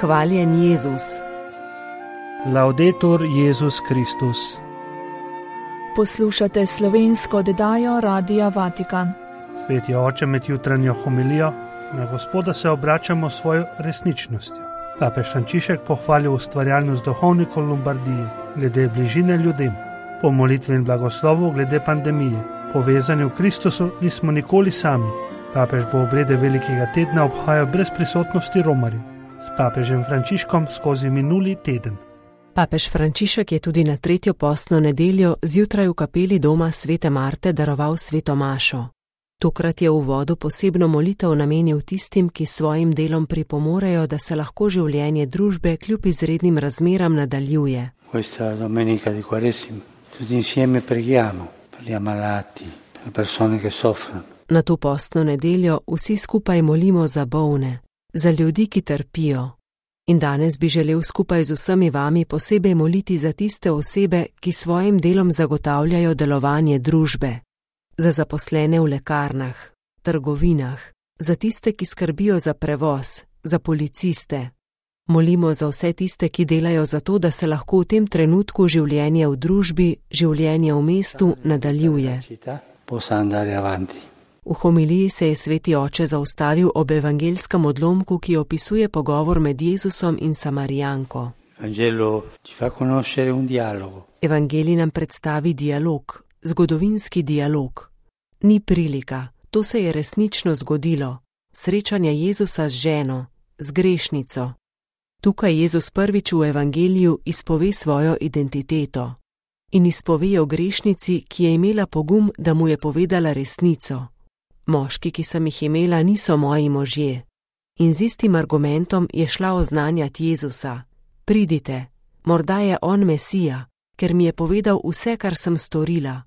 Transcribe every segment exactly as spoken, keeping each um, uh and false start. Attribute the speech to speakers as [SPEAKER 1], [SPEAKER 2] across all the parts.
[SPEAKER 1] Hvaljen Jezus.
[SPEAKER 2] Laudetur Jezus Kristus.
[SPEAKER 3] Poslušate slovensko oddajo Radia Vatikan.
[SPEAKER 2] Sveti oče, med jutranjo homilijo na Gospoda se obračamo s svojo resničnostjo. Papež Frančišek pohvalil ustvarjalnost duhovnikov Lombardije glede bližine ljudem, po molitvi in blagoslovu glede pandemije. Povezani v Kristusu nismo nikoli sami. Papež bo obrede velikega tedna obhajal brez prisotnosti romarjev. S papežem Frančiškom skozi minuli teden.
[SPEAKER 1] Papež Frančišek je tudi na tretjo postno nedeljo zjutraj v kapeli doma svete Marte daroval sveto mašo. Tokrat je v uvodu posebno molitev namenil tistim, ki svojim delom pripomorejo, da se lahko življenje družbe kljub izrednim razmeram nadaljuje.
[SPEAKER 4] Questa domenica di Quaresima tutti insieme preghiamo per gli ammalati, per le persone che soffrono.
[SPEAKER 1] Na to postno nedeljo vsi skupaj molimo za bolne, za ljudi, ki trpijo. In danes bi želel skupaj z vsemi vami posebej moliti za tiste osebe, ki svojim delom zagotavljajo delovanje družbe. Za zaposlene v lekarnah, trgovinah, za tiste, ki skrbijo za prevoz, za policiste. Molimo za vse tiste, ki delajo za to, da se lahko v tem trenutku življenje v družbi, življenje v mestu nadaljuje. V homiliji se je sveti oče zaustavil ob evangelskem odlomku, ki opisuje pogovor med Jezusom in Samarijanko. Evangelij nam predstavi dialog, zgodovinski dialog. Ni prilika, to se je resnično zgodilo. Srečanje Jezusa z ženo, z grešnico. Tukaj Jezus prvič v evangeliju izpove svojo identiteto. In izpove o grešnici, ki je imela pogum, da mu je povedala resnico. Moški, ki sem jih imela, niso moji možje. In z istim argumentom je šla oznanjati Jezusa. Pridite, morda je on Mesija, ker mi je povedal vse, kar sem storila.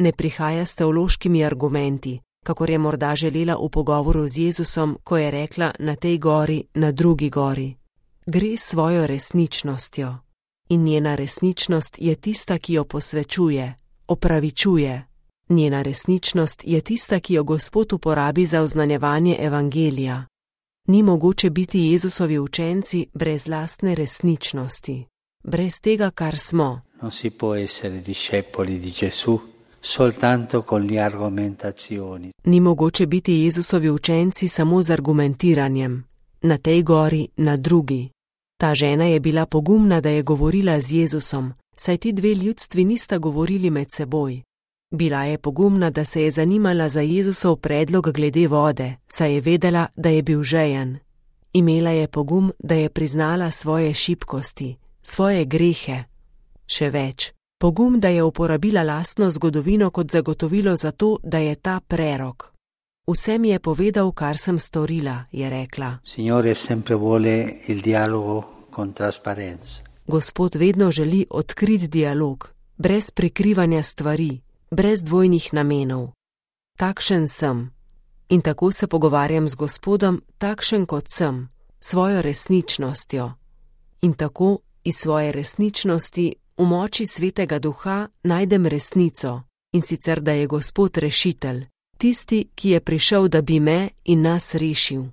[SPEAKER 1] Ne prihaja s teološkimi argumenti, kakor je morda želela v pogovoru z Jezusom, ko je rekla na tej gori, na drugi gori. Gre s svojo resničnostjo. In njena resničnost je tista, ki jo posvečuje, opravičuje. Njena resničnost je tista, ki jo Gospod uporabi za oznanjevanje evangelija. Ni mogoče biti Jezusovi učenci brez lastne resničnosti, brez tega, kar smo.
[SPEAKER 4] Non si può essere discepoli di Gesù soltanto con le argomentazioni.
[SPEAKER 1] Ni mogoče biti Jezusovi učenci samo z argumentiranjem, na tej gori, na drugi. Ta žena je bila pogumna, da je govorila z Jezusom, saj ti dve ljudstvi nista govorili med seboj. Bila je pogumna, da se je zanimala za Jezusov predlog glede vode, saj je vedela, da je bil žejen. Imela je pogum, da je priznala svoje šibkosti, svoje grehe. Še več, pogum, da je uporabila lastno zgodovino kot zagotovilo za to, da je ta prerok. Vse mi je povedal, kar sem storila, je rekla.
[SPEAKER 4] Signore sempre vuole il dialogo con trasparenza.
[SPEAKER 1] Gospod vedno želi odkrit dialog, brez prikrivanja stvari, brez dvojnih namenov. Takšen sem. In tako se pogovarjam z Gospodom, takšen kot sem, svojo resničnostjo. In tako iz svoje resničnosti v moči Svetega Duha najdem resnico, in sicer, da je Gospod rešitelj, tisti, ki je prišel, da bi me in nas rešil.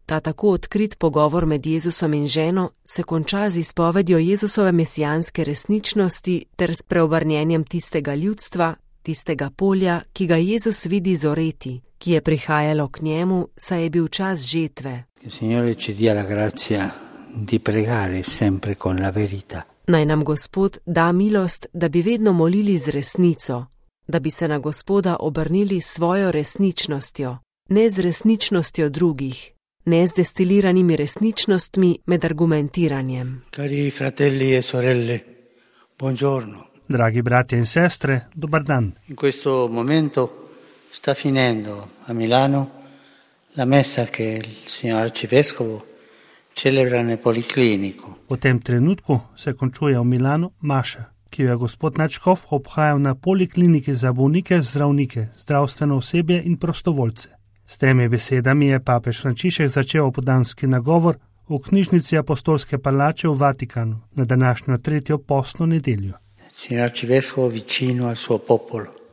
[SPEAKER 1] Ta tako odkrit pogovor med Jezusom in ženo se konča z izpovedjo Jezusove mesijanske resničnosti ter s preobrnjenjem tistega ljudstva, tistega polja, ki ga Jezus vidi zoreti, ki je prihajalo k njemu, saj je bil čas žetve. Naj nam Gospod da milost, da bi vedno molili z resnico, da bi se na Gospoda obrnili s svojo resničnostjo, ne z resničnostjo drugih, ne z destiliranimi resničnostmi med argumentiranjem.
[SPEAKER 4] Cari fratelli e sorelle, buongiorno.
[SPEAKER 2] Dragi bratje in sestre, dobar dan.
[SPEAKER 4] In questo momento sta finendo a Milano la messa che il signor arcivescovo celebra nel policlinico.
[SPEAKER 2] V tem trenutku se končuje v Milanu maša, ki jo je gospod nadškof obhajal na polikliniki za bolnike, zdravnike, zdravstveno osebje in prostovoljce. S temi besedami je papež Frančišek začel opoldanski nagovor v knjižnici Apostolske palače v Vatikanu na današnjo tretjo postno nedeljo.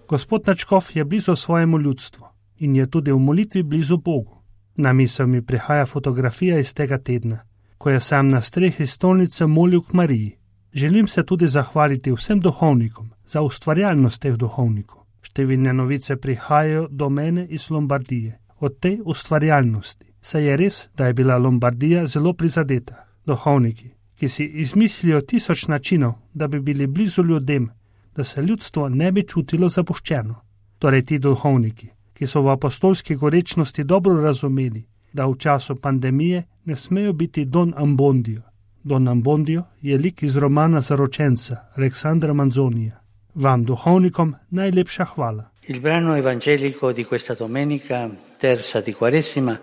[SPEAKER 2] Gospod nadškof je blizu svojemu ljudstvu in je tudi v molitvi blizu Bogu. Na misel mi prihaja fotografija iz tega tedna, ko je sam na strehi stolnice molil k Mariji. Želim se tudi zahvaliti vsem duhovnikom za ustvarjalnost teh duhovnikov. Številne novice prihajajo do mene iz Lombardije. Od tej ustvarjalnosti se je res, da je bila Lombardija zelo prizadeta. Duhovniki, ki si izmislijo tisoč načinov, da bi bili blizu ljudem, da se ljudstvo ne bi čutilo zapuščeno. Torej ti duhovniki, ki so v apostolski gorečnosti dobro razumeli, da v času pandemije ne smejo biti Don Abbondio. Don Abbondio je lik iz romana Zaročenca Aleksandra Manzonija. Vam, duhovnikom, najlepša hvala.
[SPEAKER 4] Il brano evangelico di questa domenica, terza di Quaresima,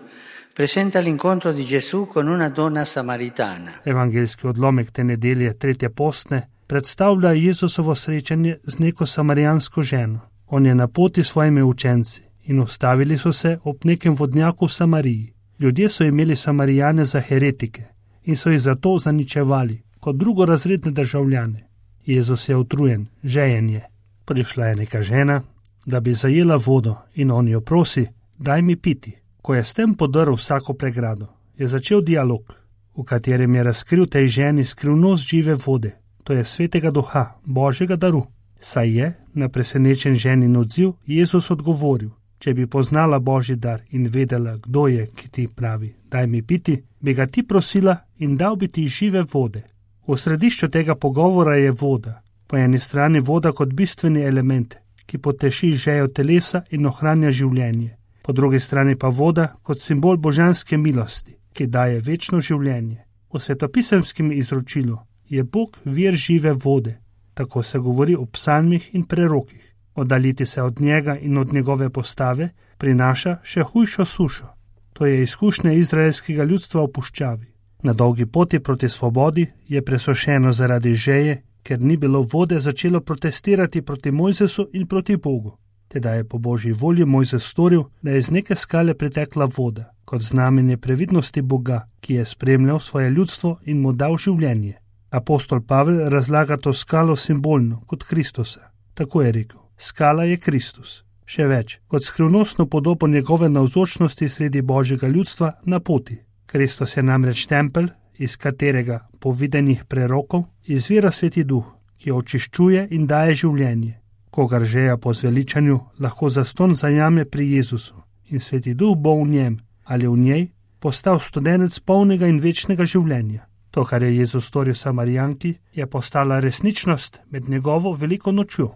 [SPEAKER 4] presenta l'incontro di Gesù con una donna samaritana.
[SPEAKER 2] Evangelski odlomek te nedelje, tretje postne, predstavlja Jezusovo srečanje z neko samarijansko ženo. On je na poti s svojimi učenci in ustavili so se ob nekem vodnjaku v Samariji. Ljudje so imeli Samarijane za heretike in so jih zato zaničevali kot drugorazredne državljane. Jezus je utrujen, žejen je. Prišla je neka žena, da bi zajela vodo in on jo prosi, daj mi piti. Ko je s tem podrl vsako pregrado, je začel dialog, v katerem je razkril tej ženi skrivnost žive vode, to je svetega duha, Božjega daru. Saj je, na presenečen ženin odziv, Jezus odgovoril, če bi poznala Božji dar in vedela, kdo je, ki ti pravi, daj mi piti, bi ga ti prosila in dal bi ti žive vode. V središču tega pogovora je voda, po eni strani voda kot bistveni element, ki poteši žejo telesa in ohranja življenje, po drugi strani pa voda kot simbol božanske milosti, ki daje večno življenje. V svetopisemskem izročilu je Bog vir žive vode, tako se govori o psalmih in prerokih. Oddaljiti se od njega in od njegove postave prinaša še hujšo sušo. To je izkušnja izraelskega ljudstva v puščavi. Na dolgi poti proti svobodi je presušeno zaradi žeje, ker ni bilo vode, začelo protestirati proti Mojzesu in proti Bogu. Teda je po Božji volji Mojzes storil, da je iz neke skale pritekla voda, kot znamenje previdnosti Boga, ki je spremljal svoje ljudstvo in mu dal življenje. Apostol Pavel razlaga to skalo simbolno, kot Kristusa. Tako je rekel, skala je Kristus. Še več, kot skrivnostno podobo njegove navzočnosti sredi Božjega ljudstva na poti. Kristus je namreč tempelj, iz katerega po videnjih prerokov izvira Sveti Duh, ki očiščuje in daje življenje. Kogar žeja po zveličanju, lahko zastonj zajame pri Jezusu in Sveti Duh bo v njem ali v njej postal studenec polnega in večnega življenja. To, kar je Jezus storil Samarijanki, je postala resničnost med njegovo veliko nočjo.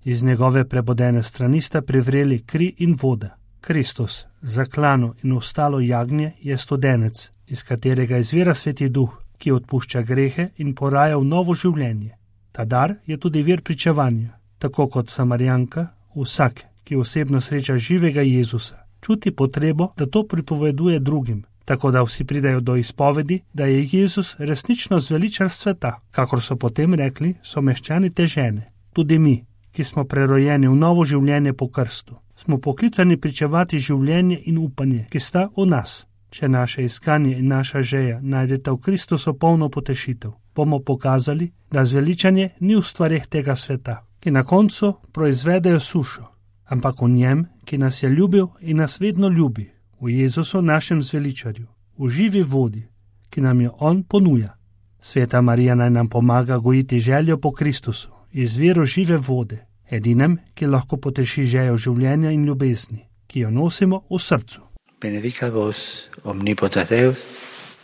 [SPEAKER 2] Iz njegove prebodene strani sta privreli kri in voda. Kristus, zaklano in ostalo jagnje, je studenec, iz katerega izvira Sveti Duh, ki odpušča grehe in poraja v novo življenje. Ta dar je tudi vir pričevanja. Tako kot Samarijanka, vsak, ki osebno sreča živega Jezusa, čuti potrebo, da to pripoveduje drugim, tako da vsi pridajo do izpovedi, da je Jezus resnično zveličar sveta, kakor so potem rekli someščani te žene. Tudi mi, ki smo prerojeni v novo življenje po krstu, smo poklicani pričevati življenje in upanje, ki sta v nas. Če naše iskanje in naša žeja najdeta v Kristusu polno potešitev, bomo pokazali, da zveličanje ni v stvareh tega sveta, ki na koncu proizvedejo sušo, ampak v njem, ki nas je ljubil in nas vedno ljubi, v Jezusu našem zveličarju, v živi vodi, ki nam jo on ponuja. Sveta Marija naj nam pomaga gojiti željo po Kristusu, izviru žive vode, edinem, ki lahko poteši žejo življenja in ljubezni, ki jo nosimo v srcu.
[SPEAKER 4] Benedicat vos omnipotens Deus,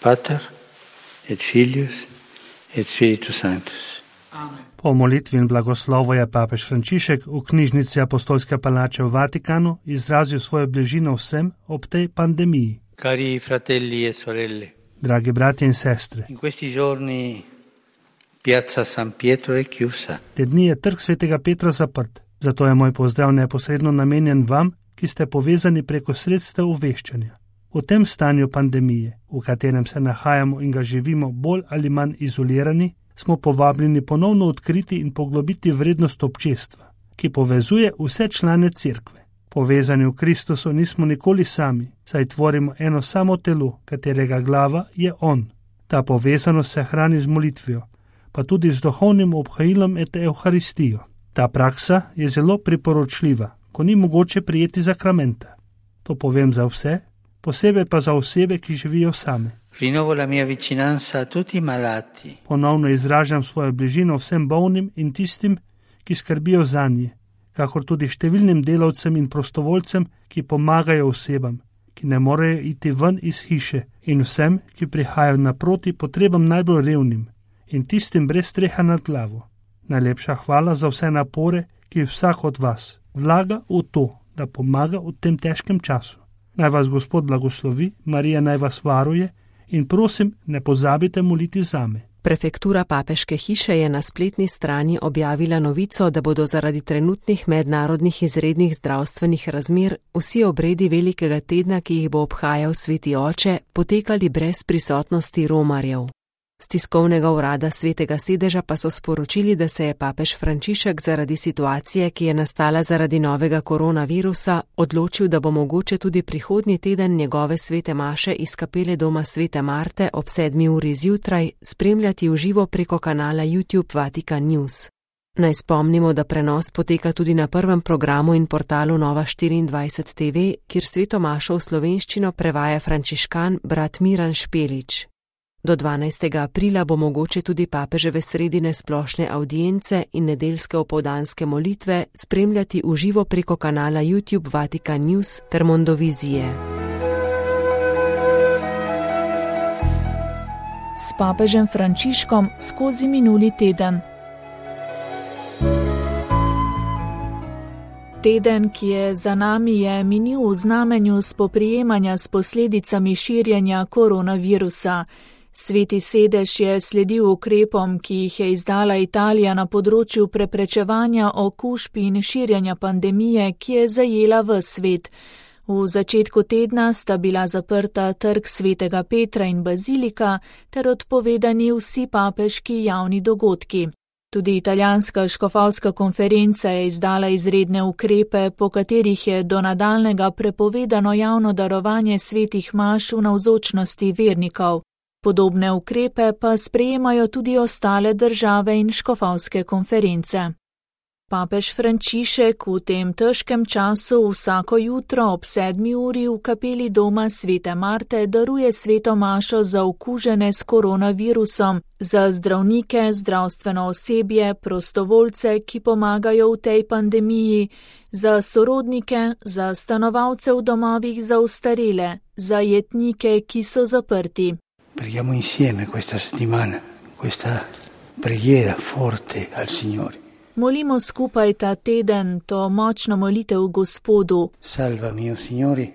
[SPEAKER 4] Pater et Filius et Spiritus Sanctus.
[SPEAKER 3] Amen.
[SPEAKER 2] Po molitvi in blagoslovu je papež Frančišek v knjižnici Apostolske palače v Vatikanu izrazil svojo bližino vsem ob tej pandemiji.
[SPEAKER 4] Cari fratelli e sorelle,
[SPEAKER 2] Dragi bratje in sestre,
[SPEAKER 4] in questi giorni Piazza San Pietro è chiusa.
[SPEAKER 2] te dni je trg svetega Petra zaprt, zato je moj pozdrav neposredno namenjen vam, ki ste povezani preko sredstev obveščanja. V tem stanju pandemije, v katerem se nahajamo in ga živimo bolj ali manj izolirani, smo povabljeni ponovno odkriti in poglobiti vrednost občestva, ki povezuje vse člane cerkve. Povezani v Kristusu nismo nikoli sami, saj tvorimo eno samo telo, katerega glava je On. Ta povezanost se hrani z molitvijo, pa tudi z duhovnim obhajilom et Evharistijo. Ta praksa je zelo priporočljiva, ko ni mogoče prijeti zakramenta. To povem za vse, posebej pa za osebe, ki živijo same.
[SPEAKER 4] Rinnovo la mia vicinanza a tutti i malati.
[SPEAKER 2] Ponovno izražam svojo bližino vsem bolnim in tistim, ki skrbijo zanje, kakor tudi številnim delavcem in prostovoljcem, ki pomagajo osebam, ki ne morejo iti ven iz hiše, in vsem, ki prihajajo naproti potrebam najbolj revnim in tistim brez streha nad glavo. Najlepša hvala za vse napore, ki vsak od vas vlaga v to, da pomaga v tem težkem času. Naj vas Gospod blagoslovi, Marija naj vas varuje in prosim, ne pozabite moliti zame.
[SPEAKER 1] Prefektura papeške hiše je na spletni strani objavila novico, da bodo zaradi trenutnih mednarodnih izrednih zdravstvenih razmer vsi obredi velikega tedna, ki jih bo obhajal Sveti Oče, potekali brez prisotnosti romarjev. Z tiskovnega urada Svetega sedeža pa so sporočili, da se je papež Frančišek zaradi situacije, ki je nastala zaradi novega koronavirusa, odločil, da bo mogoče tudi prihodnji teden njegove svete maše iz kapele doma Svete Marte ob sedmi uri zjutraj spremljati v živo preko kanala YouTube Vatikan News. Naj spomnimo, da prenos poteka tudi na prvem programu in portalu Nova štiriindvajset T V, kjer sveto mašo v slovenščino prevaja frančiškan brat Miran Špelič. Do dvanajstega aprila bo mogoče tudi papeževe sredine splošne avdience in nedeljske opoldanske molitve spremljati v živo preko kanala YouTube Vatikan News ter Mondovizije.
[SPEAKER 3] S papežem Frančiškom skozi minuli teden. Teden, ki je za nami, je minil v znamenju spoprijemanja s posledicami širjenja koronavirusa. Sveti sedež je sledil ukrepom, ki jih je izdala Italija na področju preprečevanja okužb in širjanja pandemije, ki je zajela ves svet. V začetku tedna sta bila zaprta trg Svetega Petra in bazilika ter odpovedani vsi papeški javni dogodki. Tudi italijanska škofovska konferenca je izdala izredne ukrepe, po katerih je do nadaljnjega prepovedano javno darovanje svetih maš v navzočnosti vernikov. Podobne ukrepe pa sprejemajo tudi ostale države in škofovske konference. Papež Frančišek v tem težkem času vsako jutro ob sedmi uri v kapeli doma Svete Marte daruje sveto mašo za okužene s koronavirusom, za zdravnike, zdravstveno osebje, prostovoljce, ki pomagajo v tej pandemiji, za sorodnike, za stanovalce v domovih za ostarele, za jetnike, ki so zaprti.
[SPEAKER 4] Preghiamo insieme questa settimana, questa preghiera forte al Signore.
[SPEAKER 3] Molimo skupaj ta teden to močno molitev Gospodu.
[SPEAKER 4] Salva mio Signore,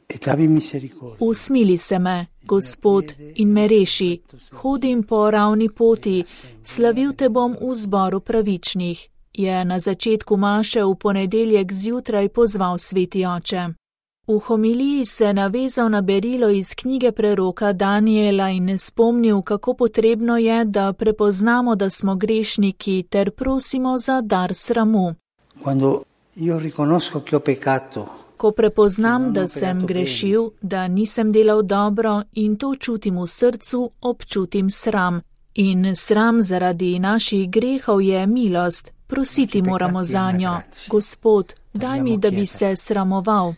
[SPEAKER 4] et abbi misericordia.
[SPEAKER 3] Usmili se me, Gospod, in me reši. Hodim po ravni poti, slavil te bom v zboru pravičnih, je na začetku maše v ponedeljek zjutraj pozval Sveti Oče. V homiliji se navezal na berilo iz knjige preroka Daniela in spomnil, kako potrebno je, da prepoznamo, da smo grešniki, ter prosimo za dar sramu. Ko prepoznam, da sem grešil, da nisem delal dobro in to čutim v srcu, občutim sram. In sram zaradi naših grehov je milost. Prositi moramo zanjo. Gospod, daj mi, da bi se sramoval.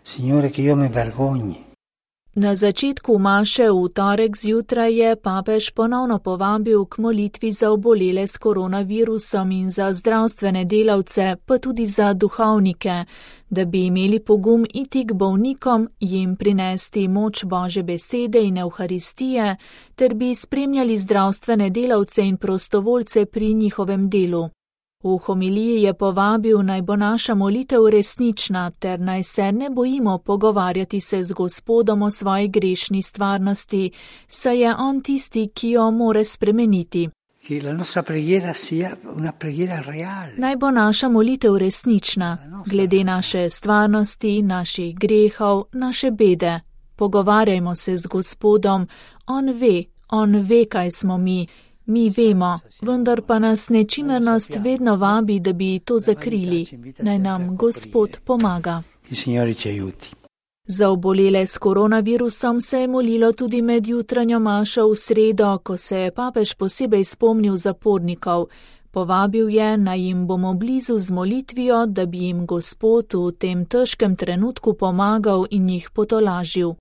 [SPEAKER 3] Na začetku maše v torek zjutraj je papež ponovno povabil k molitvi za obolele s koronavirusom in za zdravstvene delavce, pa tudi za duhovnike, da bi imeli pogum iti k bolnikom, jim prinesti moč Božje besede in evharistije, ter bi spremljali zdravstvene delavce in prostovoljce pri njihovem delu. V homiliji je povabil, naj bo naša molitev resnična, ter naj se ne bojimo pogovarjati se z Gospodom o svoji grešni stvarnosti, saj je on tisti, ki jo more spremeniti. Naj bo naša molitev resnična, glede naše stvarnosti, naših grehov, naše bede. Pogovarjajmo se z Gospodom, on ve, on ve, kaj smo mi. Mi vemo, vendar pa nas nečimernost vedno vabi, da bi to zakrili. Naj nam Gospod pomaga. Za obolele s koronavirusom se je molilo tudi med jutranjo mašo v sredo, ko se je papež posebej spomnil zapornikov. Povabil je, naj jim bomo blizu z molitvijo, da bi jim Gospod v tem težkem trenutku pomagal in jih potolažil.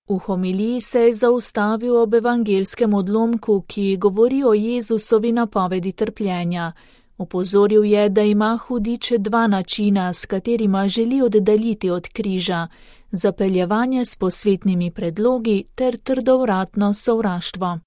[SPEAKER 3] V homiliji se je zaustavil ob evangelskem odlomku, ki govori o Jezusovi napovedi trpljenja. Opozoril je, da ima hudič dva načina, s katerima želi oddaljiti od križa: zapeljevanje s posvetnimi predlogi ter trdovratno sovraštvo.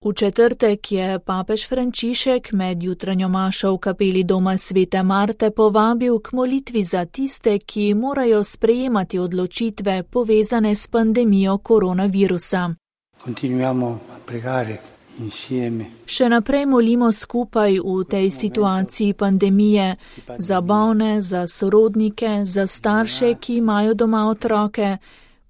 [SPEAKER 3] V četrtek je papež Frančišek med jutranjo mašo v kapeli doma svete Marte povabil k molitvi za tiste, ki morajo sprejemati odločitve povezane s pandemijo koronavirusa.
[SPEAKER 4] Continuiamo a pregare insieme.
[SPEAKER 3] Še naprej molimo skupaj v tej situaciji pandemije za bolne, za sorodnike, za starše, ki imajo doma otroke.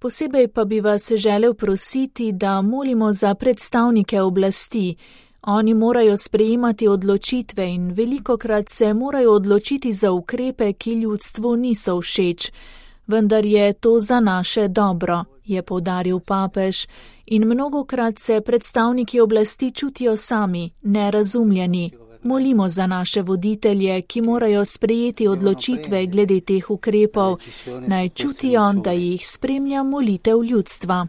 [SPEAKER 3] Posebej pa bi vas želel prositi, da molimo za predstavnike oblasti. Oni morajo sprejemati odločitve in velikokrat se morajo odločiti za ukrepe, ki ljudstvu niso všeč. Vendar je to za naše dobro, je poudaril papež, in mnogokrat se predstavniki oblasti čutijo sami, nerazumljeni. Molimo za naše voditelje, ki morajo sprejeti odločitve glede teh ukrepov, naj čutijo, da jih spremlja molitev ljudstva.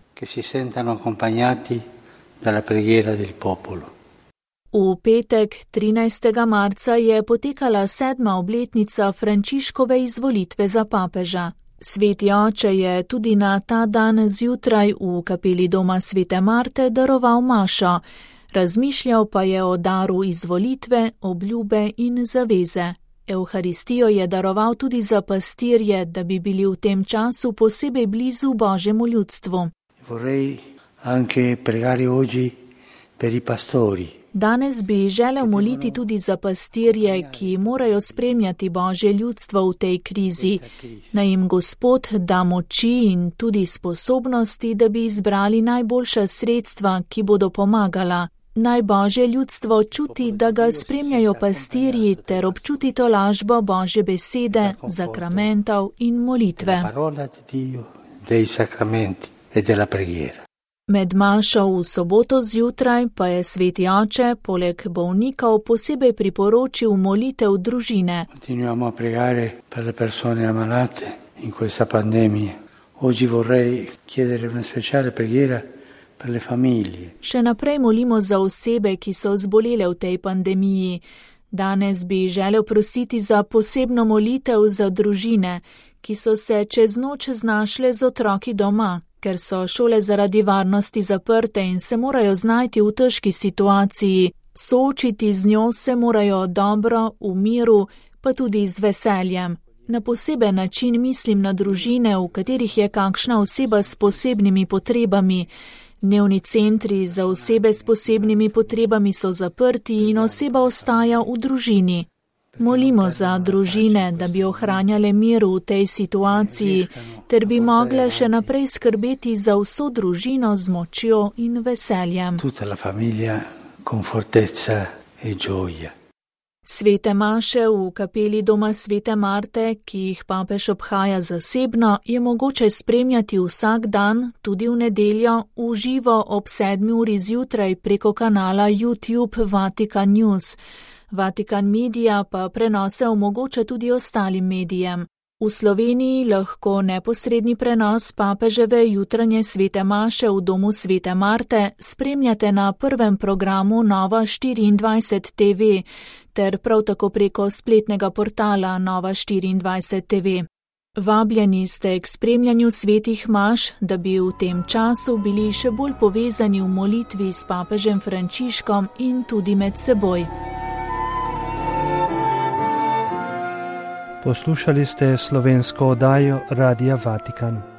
[SPEAKER 3] V petek, trinajstega marca, je potekala sedma obletnica Frančiškove izvolitve za papeža. Sveti oče je tudi na ta dan zjutraj v kapeli doma svete Marte daroval mašo. Razmišljal pa je o daru izvolitve, obljube in zaveze. Evharistijo je daroval tudi za pastirje, da bi bili v tem času posebej blizu Božjemu ljudstvu. Danes bi želel moliti tudi za pastirje, ki morajo spremljati Božje ljudstvo v tej krizi. Naj jim Gospod da moči in tudi sposobnosti, da bi izbrali najboljša sredstva, ki bodo pomagala. Naj Božje ljudstvo čuti, da ga spremljajo pastirji, ter občuti tolažbo Božje besede, zakramentov in molitve. Med mašo v soboto zjutraj pa je sveti oče poleg bolnikov posebej priporočil molitev družine.
[SPEAKER 4] Continuiamo a pregare per le persone ammalate in questa pandemia. Oggi vorrei chiedere una speciale preghiera per le famiglie.
[SPEAKER 3] Še naprej molimo za osebe, ki so zbolele v tej pandemiji. Danes bi želel prositi za posebno molitev za družine, ki so se čez noč znašle z otroki doma, ker so šole zaradi varnosti zaprte in se morajo znajti v težki situaciji. Soočiti z njo se morajo dobro, v miru, pa tudi z veseljem. Na poseben način mislim na družine, v katerih je kakšna oseba s posebnimi potrebami. Dnevni centri za osebe s posebnimi potrebami so zaprti in oseba ostaja v družini. Molimo za družine, da bi ohranjale mir v tej situaciji, ter bi mogle še naprej skrbeti za vso družino z močjo in veseljem.
[SPEAKER 4] Tutta la famiglia con fortezza e gioia.
[SPEAKER 3] Svete maše v kapeli doma svete Marte, ki jih papež obhaja zasebno, je mogoče spremljati vsak dan, tudi v nedeljo, v živo ob sedmi uri zjutraj preko kanala YouTube Vatikan News. Vatikan Media pa prenose omogoča tudi ostalim medijem. V Sloveniji lahko neposredni prenos papeževe jutranje svete maše v domu svete Marte spremljate na prvem programu Nova štiriindvajset T V ter prav tako preko spletnega portala Nova štiriindvajset T V. Vabljeni ste k spremljanju svetih maš, da bi v tem času bili še bolj povezani v molitvi s papežem Frančiškom in tudi med seboj.
[SPEAKER 2] Poslušali ste slovensko oddajo Radia Vatikan.